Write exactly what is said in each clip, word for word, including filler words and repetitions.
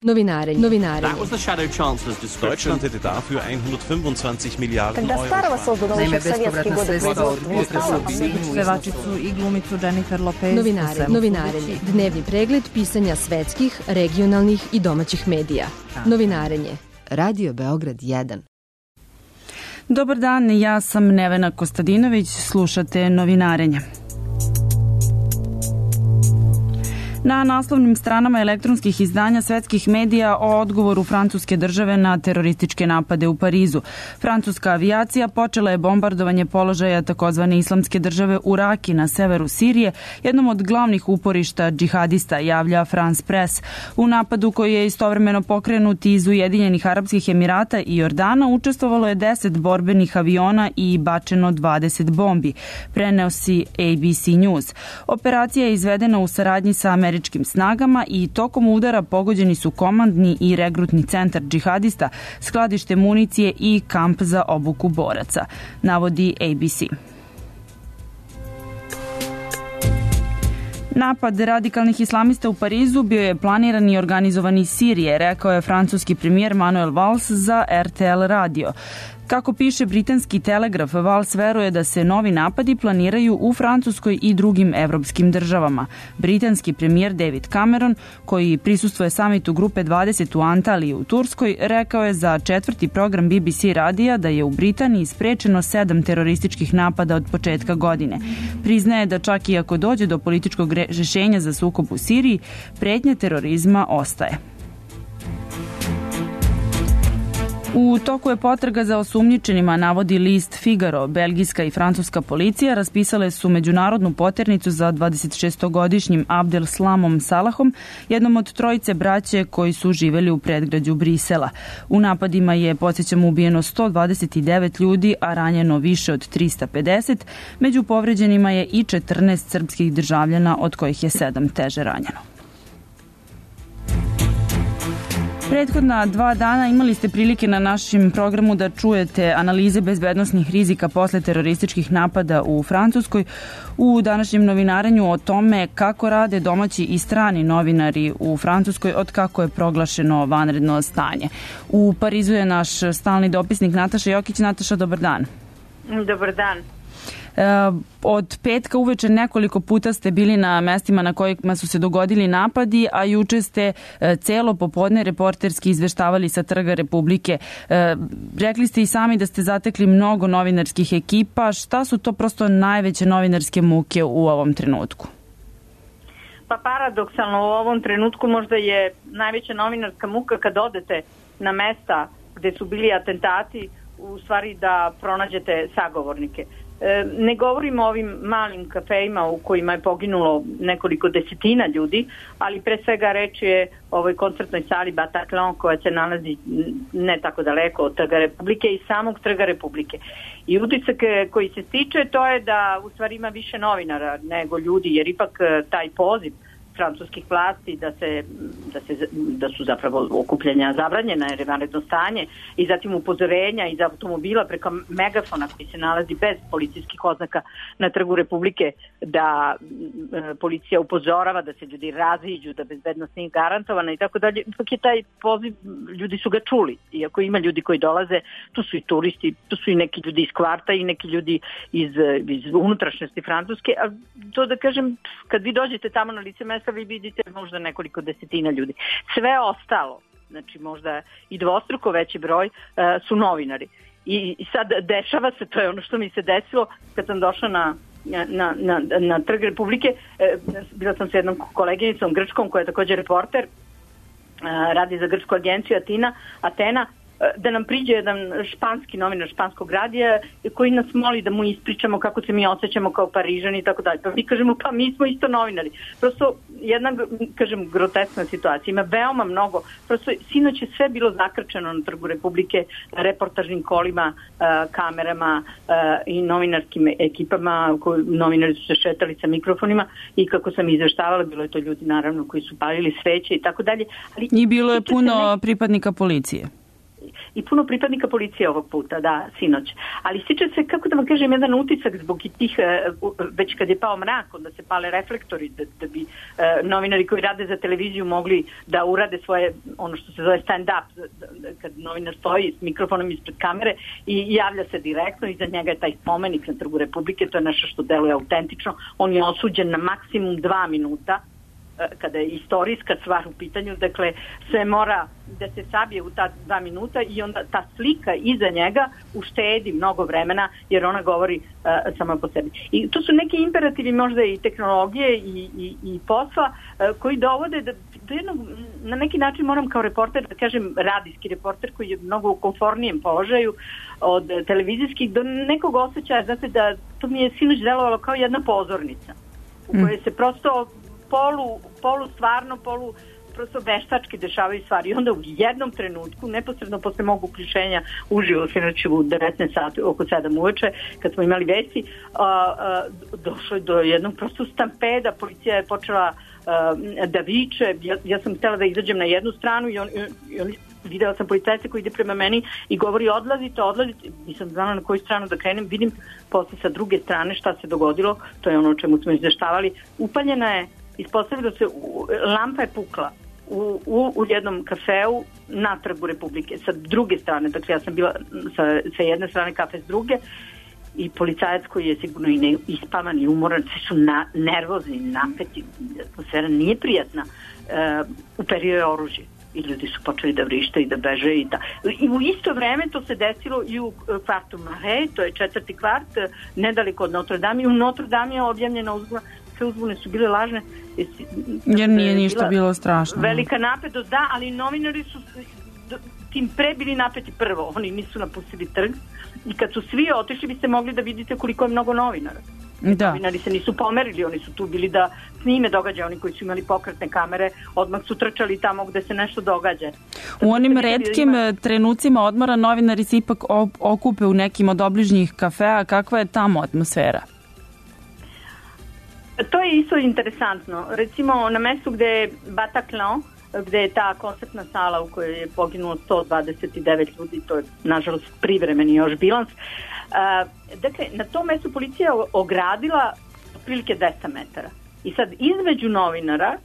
Novinarenje. Novinarenje. That was the Shadow Chancellor's description. Deutschland hätte dafür hundertfünfundzwanzig Miliarden Когда старого создано еще в советские годы производства. Pevačicu i glumicu Jennifer Lopez. Novinarenje. Novinarenje. Dnevni pregled pisanja svetskih, regionalnih i domaćih medija. Novinarenje. Radio Beograd jedan. Dobar dan, ja sam Nevena Kostadinović, slušate Novinarenje. Na naslovnim stranama elektronskih izdanja svetskih medija o odgovoru francuske države na terorističke napade u Parizu. Francuska avijacija počela je bombardovanje položaja takozvane islamske države u Raki na severu Sirije, jednom od glavnih uporišta džihadista, javlja France Press. U napadu koji je istovremeno pokrenut iz Ujedinjenih Arapskih Emirata i Jordana učestvovalo je deset borbenih aviona i bačeno dvadeset bombi, prenosi A B C News. Operacija je izvedena u saradnji sa američkim američkim snagama i tokom udara pogođeni su komandni i regrutni centar džihadista, skladište municije i kamp za obuku boraca, navodi A B C. Napad radikalnih islamista u Parizu bio je planiran i organizovan iz Sirije, rekao je francuski premijer Manuel Valls za R T L radio. Kako piše britanski Telegraf, Valls veruje da se novi napadi planiraju u Francuskoj i drugim evropskim državama. Britanski premijer David Cameron, koji prisustvuje samitu grupe dvadeset u Antaliji u Turskoj, rekao je za četvrti program B B C radija da je u Britaniji sprečeno sedam terorističkih napada od početka godine. Priznaje da čak i ako dođe do političkog rešenja za sukob u Siriji, pretnja terorizma ostaje. U toku je potraga za osumnjičenima, navodi list Figaro. Belgijska i francuska policija raspisale su međunarodnu poternicu za dvadesetšestogodišnjim Abdel Slamom Salahom, jednom od trojice braće koji su živeli u predgrađu Brisela. U napadima je, podsjećamo, ubijeno sto dvadeset devet ljudi, a ranjeno više od trista pedeset. Među povređenima je i četrnaest srpskih državljana, od kojih je sedam teže ranjeno. Prethodna dva dana imali ste prilike na našem programu da čujete analize bezbednosnih rizika posle terorističkih napada u Francuskoj. U današnjem novinarenju o tome kako rade domaći i strani novinari u Francuskoj od kako je proglašeno vanredno stanje. U Parizu je naš stalni dopisnik Nataša Jokić. Nataša, dobar dan. Dobar dan. Od petka uveče nekoliko puta ste bili na mestima na kojima su se dogodili napadi, a juče ste celo popodne reporterski izveštavali sa Trga Republike. Rekli ste i sami da ste zatekli mnogo novinarskih ekipa. Šta su to prosto najveće novinarske muke u ovom trenutku? Pa paradoksalno u ovom trenutku možda je najveća novinarska muka kad odete na mesta gde su bili atentati, u stvari da pronađete sagovornike. Ne govorimo o ovim malim kafejima u kojima je poginulo nekoliko desetina ljudi, ali pre svega reč je o ovoj koncertnoj sali Bataclan koja se nalazi ne tako daleko od Trga Republike i samog Trga Republike. I utisak koji se stiče to je da u stvari ima više novinara nego ljudi, jer ipak taj poziv francuskih vlasti da se, da se da su zapravo okupljanja zabranjena jer je vanredno stanje i zatim upozorenja iz automobila preko megafona koji se nalazi bez policijskih oznaka na Trgu Republike da e, policija upozorava da se ljudi raziđu, da bezbednost nije garantovana i tako dalje. Ipak je taj poziv, ljudi su ga čuli. Iako ima ljudi koji dolaze, tu su i turisti, tu su i neki ljudi iz kvarta i neki ljudi iz, iz unutrašnjosti Francuske, a to da kažem, kad vi dođete tamo na lice mesta vi vidite možda nekoliko desetina ljudi. Sve ostalo, znači možda i dvostruko veći broj, uh, su novinari. I, I sad dešava se, to je ono što mi se desilo kad sam došla na, na, na, na Trg Republike, uh, bila sam sa jednom koleginicom Grčkom koja je također reporter, uh, radi za grčku agenciju Atina, Atena, da nam priđe jedan španski novinar španskog radija koji nas moli da mu ispričamo kako se mi osjećamo kao Parižani i tako dalje. Pa mi kažemo, pa mi smo isto novinari. Prosto jedna, kažem, groteskna situacija. Ima veoma mnogo. Prosto sinoć je sve bilo zakrčeno na Trgu Republike, reportažnim kolima, kamerama i novinarskim ekipama. Novinari su se šetali sa mikrofonima i kako sam izveštavala, bilo je to ljudi naravno koji su palili sveće i tako dalje. I bilo je puno pripadnika policije. i puno pripadnika policije ovog puta, da, sinoć. Ali stiče se, kako da vam kažem, jedan utisak zbog i tih, već kad je pao mrak, onda se pale reflektori, da, da bi uh, novinari koji rade za televiziju mogli da urade svoje, ono što se zove stand-up, kad novinar stoji s mikrofonom ispred kamere i javlja se direktno, iza njega je taj spomenik na Trgu Republike, to je nešto što deluje autentično. On je osuđen na maksimum dva minuta, kada je istorijska stvar u pitanju, dakle sve mora da se sabije u ta dva minuta i onda ta slika iza njega uštedi mnogo vremena jer ona govori uh, sama po sebi. I to su neki imperativi možda i tehnologije i, i, i posla uh, koji dovode da, do jednog, na neki način moram kao reporter da kažem radijski reporter koji je mnogo u komfornijem položaju od televizijskih do nekog osjećaja, znate da to mi je sinoć delovalo kao jedna pozornica u kojoj se prosto polu, polu stvarno, polu prosto veštački dešavaju stvari. I onda u jednom trenutku, neposredno posle mog uključenja uživo sinoć u devetnaest sati, oko sedam uveče, kad smo imali vesti, a, a, došlo je do jednog prosto stampeda, policija je počela a, da viče, ja, ja sam htjela da izađem na jednu stranu i on, i on videla sam policajca koji ide prema meni i govori odlazite, odlazite, nisam znala na koju stranu da krenem, vidim posle sa druge strane šta se dogodilo, to je ono o čemu smo izveštavali, upaljena je, ispostavilo se, lampa je pukla u, u, u jednom kafeu na Trgu Republike, sa druge strane, dakle ja sam bila sa, sa jedne strane, kafe s druge, i policajac koji je sigurno i ne, ispavan i umoran, svi su na, nervozni, napeti, atmosfera nije prijatna, e, uperio je oružje i ljudi su počeli da vrište i da beže i da. I u isto vreme to se desilo i u kvartu Marais, to je četvrti kvart, nedaleko od Notre Dame, i u Notre Dame je objavljena uzbuna, sve uzbune su bile lažne. Jer nije ništa bilo strašno. Velika napetost, da, ali novinari su tim pre bili napeti prvo, oni nisu napustili trg i kad su svi otišli biste mogli da vidite koliko je mnogo novinara. Da. Novinari se nisu pomerili, oni su tu bili da snime događaje, oni koji su imali pokretne kamere odmah su trčali tamo gde se nešto događa. U onim retkim ima... trenucima odmora novinari se ipak okupe u nekim od obližnjih kafea, kakva je tamo atmosfera? To je isto interesantno. Recimo na mestu gde je Bataclan, gde je ta koncertna sala u kojoj je poginulo sto dvadeset devet ljudi, to je nažalost privremeni još bilans. Uh, dakle, na tom mestu policija ogradila otprilike dvesta metara. I sad između novinara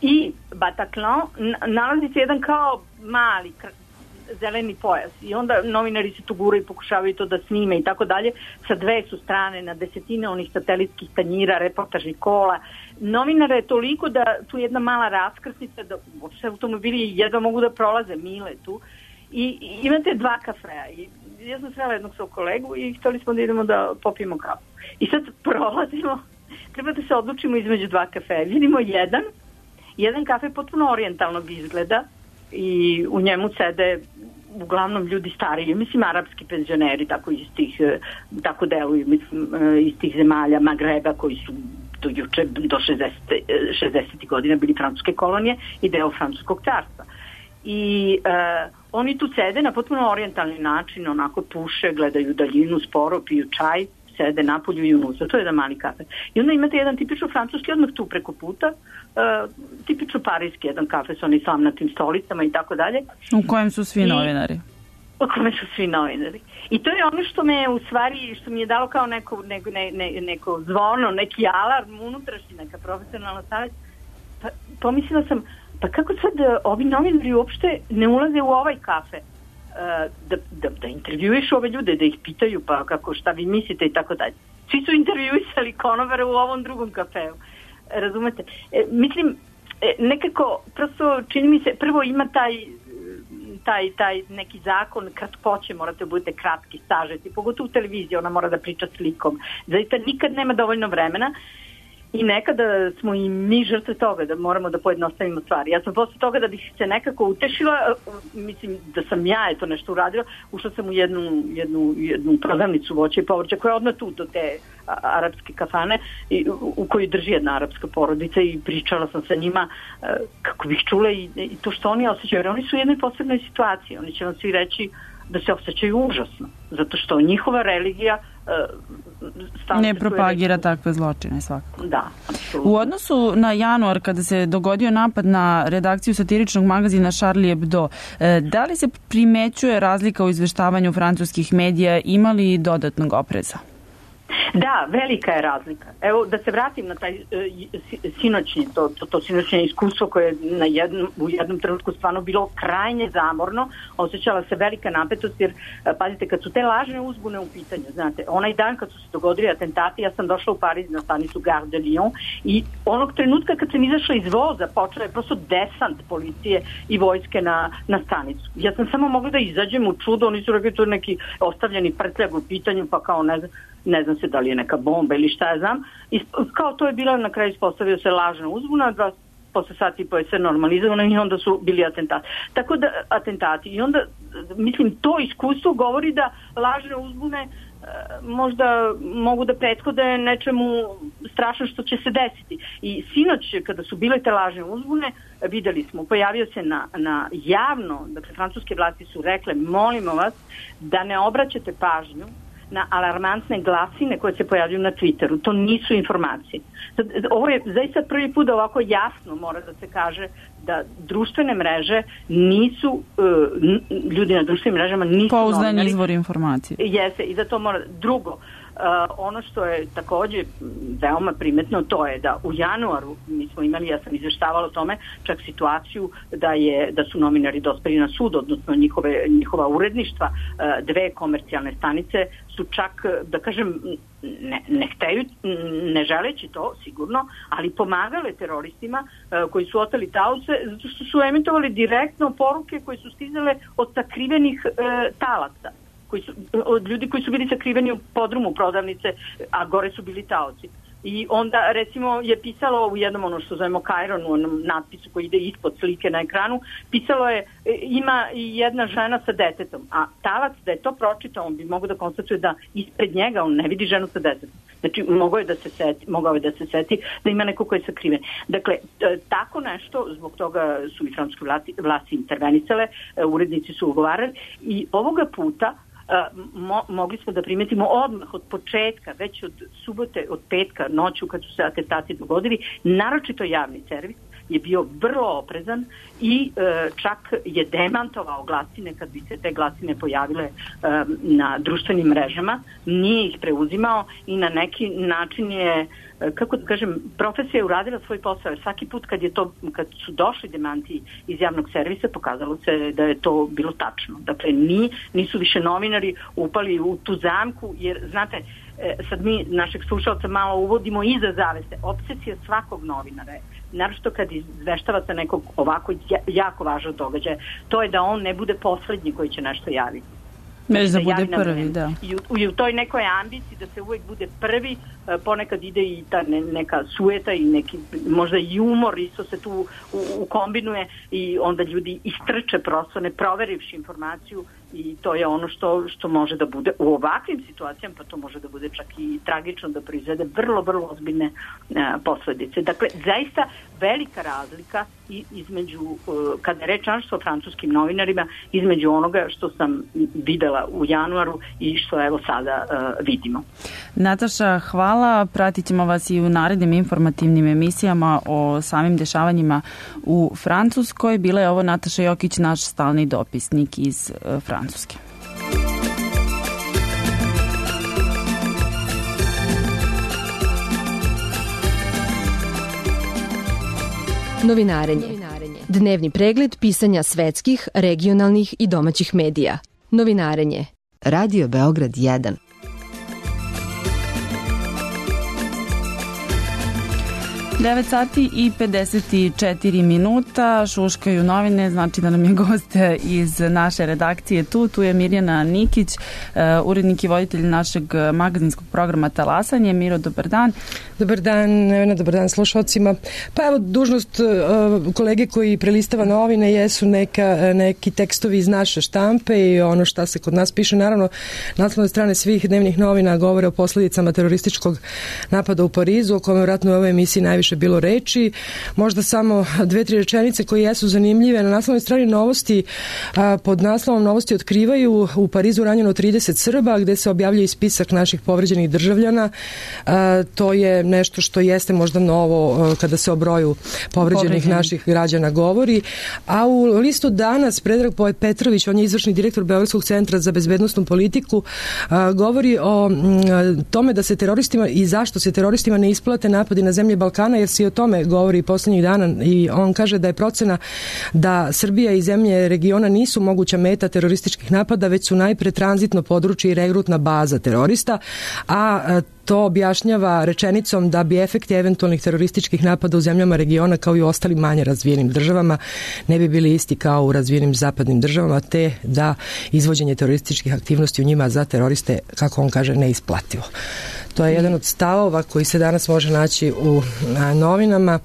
i Bataclan nalazi se jedan kao mali zeleni pojas i onda novinari se tu guraju i pokušavaju to da snime i tako dalje. Sa dve su strane, na desetine onih satelitskih tanjira, reportažnih kola. Novinara je toliko da tu jedna mala raskrsnica, da uopšte automobili jedva mogu da prolaze, mile tu. I, i imate dva kafea i ja sam srela jednog svog kolegu i htjeli smo da idemo da popijemo kafu. I sad prolazimo, treba da se odlučimo između dva kafea. Vidimo jedan, jedan kafe potpuno orijentalnog izgleda i u njemu sede uglavnom ljudi stariji, mislim arapski penzioneri, tako iz tih, tako deluju, mislim, iz tih zemalja Magreba koji su do juče, do šezdesetih godina bili francuske kolonije i deo francuskog carstva. I uh, oni tu sede na potpuno orijentalni način, onako puše, gledaju daljinu, sporo, piju čaj, sede napolju i unutra. To je jedan mali kafe. I onda imate jedan tipično francuski odmah tu preko puta, uh, tipično parijski jedan kafe sa onim slamnatim stolicama i tako dalje. U kojem su svi I, novinari. U kojem su svi novinari. I to je ono što me u stvari, što mi je dalo kao neko, neko, ne, ne, neko zvono, neki alarm unutrašnji, neka profesionalna savjet. Pa, pomislila sam, pa kako sad ovi novinari uopšte ne ulaze u ovaj kafe? Da, da, da intervjuišu ove ljude, da ih pitaju pa kako, šta vi mislite i tako dalje. Svi su intervjuisali konobare u ovom drugom kafeu. Razumete? E, mislim, e, nekako, prosto čini mi se, prvo ima taj, taj, taj neki zakon kratkoće, morate da budete kratki, sažeti, pogotovo u televiziji, ona mora da priča slikom. Zaista nikad nema dovoljno vremena. I nekada smo i mi žrtve toga da moramo da pojednostavimo stvari. Ja sam posle toga da bih se nekako utešila, mislim da sam ja eto nešto uradila, ušla sam u jednu, jednu, jednu prodavnicu voća i povrća koja je odmah tu do te arapske kafane i, u, u kojoj drži jedna arapska porodica i pričala sam sa njima kako bih čula i, i to što oni osjećaju. Jer oni su u jednoj posebnoj situaciji. Oni će vam svi reći da se osjećaju užasno. Zato što njihova religija ne propagira takve zločine svakako. Da, apsolutno. U odnosu na januar kada se dogodio napad na redakciju satiričnog magazina Charlie Hebdo, da li se primećuje razlika u izveštavanju francuskih medija, ima li dodatnog opreza? Da, velika je razlika. Evo, da se vratim na taj uh, sinoćnje, to, to, to sinoćnje iskustvo koje je na jednom, u jednom trenutku stvarno bilo krajnje zamorno, osjećala se velika napetost, jer, uh, pazite, kad su te lažne uzbune u pitanju, znate, onaj dan kad su se dogodili atentati, ja sam došla u Pariz na stanicu Gare de Lyon i onog trenutka kad sam izašla iz voza, počela je prosto desant policije i vojske na, na stanicu. Ja sam samo mogla da izađem u čudo, oni su rekli to neki ostavljeni prtljag u pitanju, pa kao ne znam, ne znam se da li je neka bomba ili šta ja znam. I kao to je bila, na kraju ispostavio se lažna uzbuna, dva posle sati i po je sve normalizovano i onda su bili atentati. Tako da, atentati. I onda, mislim, to iskustvo govori da lažne uzbune e, možda mogu da prethode nečemu strašno što će se desiti. I sinoć, kada su bile te lažne uzbune, videli smo, pojavio se na, na javno, dakle, francuske vlasti su rekle, molimo vas da ne obraćate pažnju na alarmantne glasine koje se pojavljuju na Twitteru. To nisu informacije. Ovo je zaista prvi put da ovako jasno mora da se kaže da društvene mreže nisu, ljudi na društvenim mrežama nisu pouzdani novinari. Izvor informacije. Jeste, i da to mora. Drugo, Uh, ono što je takođe veoma primetno, to je da u januaru mi smo imali, ja sam izveštavala o tome, čak situaciju da je da su novinari dospeli na sud, odnosno njihove, njihova uredništva, uh, dve komercijalne stanice su čak, da kažem, ne, ne hteju, ne želeći to sigurno, ali pomagale teroristima uh, koji su oteli taoce, zato što su emitovali direktno poruke koje su stizale od sakrivenih uh, talaca. Koji su, od ljudi koji su bili sakriveni u podrumu prodavnice, a gore su bili taoci. I onda, recimo, je pisalo u jednom ono što zovemo Kairon, u onom natpisu koji ide ispod slike na ekranu, pisalo je, ima i jedna žena sa detetom, a talac da je to pročitao, on bi mogao da konstatuje da ispred njega on ne vidi ženu sa detetom. Znači, mogao je da se seti, mogao je da se seti da ima neko ko je sakriven. Dakle, tako nešto, zbog toga su i francuske vlasti, vlasti intervenisale, urednici su ugovarali i ovoga puta Mo, mogli smo da primetimo odmah od početka, već od subote, od petka, noću kad su se atentati dogodili, naročito javni servis je bio vrlo oprezan i e, čak je demantovao glasine kad bi se te glasine pojavile e, na društvenim mrežama, nije ih preuzimao i na neki način je, e, kako da kažem, profesija je uradila svoj posao. Svaki put kad je to, kad su došli demanti iz javnog servisa, pokazalo se da je to bilo tačno. Dakle, ni, nisu više novinari upali u tu zamku, jer, znate, e, sad mi našeg slušalca malo uvodimo iza zavese. Opsesija svakog novinara je, naročito kad izveštavate nekog ovako jako važnog događaja, to je da on ne bude poslednji koji će nešto javiti. Već da bude prvi, da. I u, i u toj nekoj ambiciji da se uvek bude prvi, ponekad ide i ta ne, neka sueta i neki možda i umor isto se tu ukombinuje i onda ljudi istrče prosto ne proverivši informaciju i to je ono što, što može da bude u ovakvim situacijama, pa to može da bude čak i tragično, da proizvede vrlo, vrlo ozbiljne uh, posledice. Dakle, zaista velika razlika između, uh, kada je reč o francuskim novinarima, između onoga što sam videla u januaru i što evo sada uh, vidimo. Nataša, hvala. Pratit ćemo vas i u narednim informativnim emisijama o samim dešavanjima u Francuskoj. Bila je ovo Nataša Jokić, naš stalni dopisnik iz uh, Francuske. Novinarenje. Dnevni pregled pisanja svetskih, regionalnih i domaćih medija. Novinarenje. Radio Beograd jedan. devet sati i pedeset četiri minuta, šuškaju novine, znači da nam je gost iz naše redakcije tu. Tu je Mirjana Nikić, urednik i voditelj našeg magazinskog programa Talasanje. Miro, dobar dan. Dobar dan, Nevena, dobar dan slušalcima. Pa evo, dužnost uh, kolege koji prelistava novine jesu neka, neki tekstovi iz naše štampe i ono šta se kod nas piše. Naravno, naslovne strane svih dnevnih novina govore o posledicama terorističkog napada u Parizu, o kome vratno u ovoj emisiji najviše više bilo reči. Možda samo dve, tri rečenice koje jesu zanimljive. Na naslovnoj strani Novosti a, pod naslovom Novosti otkrivaju u Parizu ranjeno trideset Srba, gde se objavljuje spisak naših povređenih državljana. A, to je nešto što jeste možda novo a, kada se o broju povređenih Povređeni. naših građana govori. A u listu danas Predrag Petrović, on je izvršni direktor Beogradskog centra za bezbednosnu politiku, a, govori o m, tome da se teroristima i zašto se teroristima ne isplate napadi na zemlje Balkana, jer se i o tome govori poslednjih dana i on kaže da je procena da Srbija i zemlje regiona nisu moguća meta terorističkih napada, već su najpre tranzitno područje i regrutna baza terorista, a to objašnjava rečenicom da bi efekti eventualnih terorističkih napada u zemljama regiona kao i u ostalim manje razvijenim državama ne bi bili isti kao u razvijenim zapadnim državama, te da izvođenje terorističkih aktivnosti u njima za teroriste, kako on kaže, neisplativo. To je jedan od stavova koji se danas može naći u a, novinama.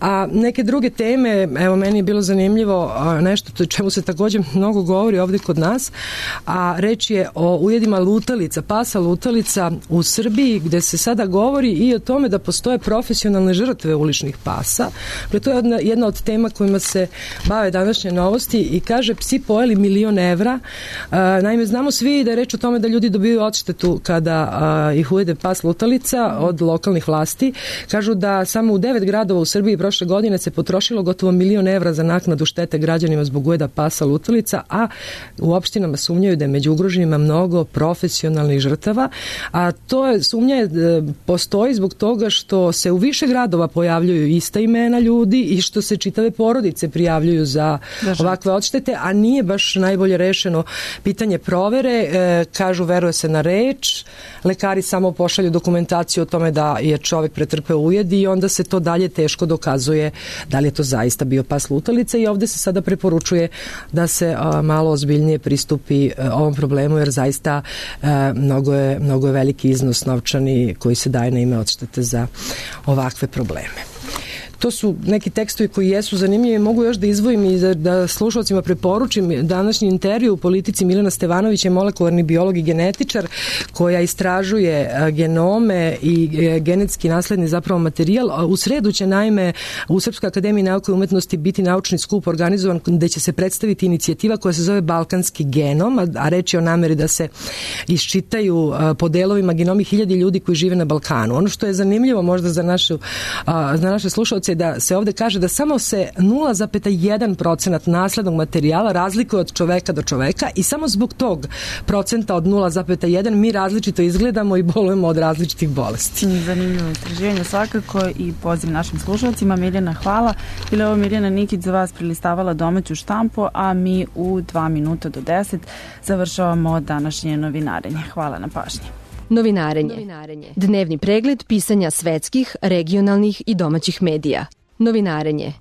A neke druge teme, evo meni je bilo zanimljivo a, nešto to čemu se također mnogo govori ovdje kod nas, a reč je o ujedima lutalica, pasa lutalica u Srbiji, gde se sada govori i o tome da postoje profesionalne žrtve uličnih pasa. To je jedna, jedna od tema kojima se bave današnje Novosti i kaže psi pojeli milion evra. A, naime, znamo svi da je reč o tome da ljudi dobiju odštetu kada a, ih ujede pas lutalica od lokalnih vlasti. Kažu da samo u devet gradova u Srbiji prošle godine se potrošilo gotovo milion evra za naknadu štete građanima zbog ujeda pasa lutalica, a u opštinama sumnjaju da je među ugroženima mnogo profesionalnih žrtava, a to je sumnja postoji zbog toga što se u više gradova pojavljuju ista imena ljudi i što se čitave porodice prijavljuju za ovakve odštete, a nije baš najbolje rešeno pitanje provere. E, kažu veruje se na reč, lekari samo pošalju dokumentaciju o tome da je čovjek pretrpeo ujed i onda se to dalje teško dokazuje da li je to zaista bio pas lutalica i ovde se sada preporučuje da se a, malo ozbiljnije pristupi a, ovom problemu, jer zaista a, mnogo, je, mnogo je veliki iznos novčani koji se daje na ime odštete za ovakve probleme. To su neki tekstovi koji jesu zanimljivi. Mogu još da izdvojim i da, da slušalcima preporučim današnji intervju u Politici. Milena Stevanović je molekularni biolog i genetičar koja istražuje genome i genetski nasledni zapravo materijal. U sredu će naime u Srpskoj akademiji nauke i umetnosti biti naučni skup organizovan gde će se predstaviti inicijativa koja se zove Balkanski genom, a reč je o nameri da se iščitaju po delovima genomi hiljadi ljudi koji žive na Balkanu. Ono što je zanimljivo možda za, našu, za naše slušalce da se ovde kaže da samo se nula zarez jedan procenat naslednog materijala razlikuje od čoveka do čoveka i samo zbog tog procenta od nula zarez jedan mi različito izgledamo i bolujemo od različitih bolesti. Zanimljivo istraživanje svakako i poziv našim slušalcima. Miljana, hvala. Bila je ovo Miljana Nikić za vas prilistavala domaću štampu, a mi u dva minuta do deset završavamo današnje novinarenje. Hvala na pažnji. Novinarenje. Dnevni pregled pisanja svetskih, regionalnih i domaćih medija. Novinarenje.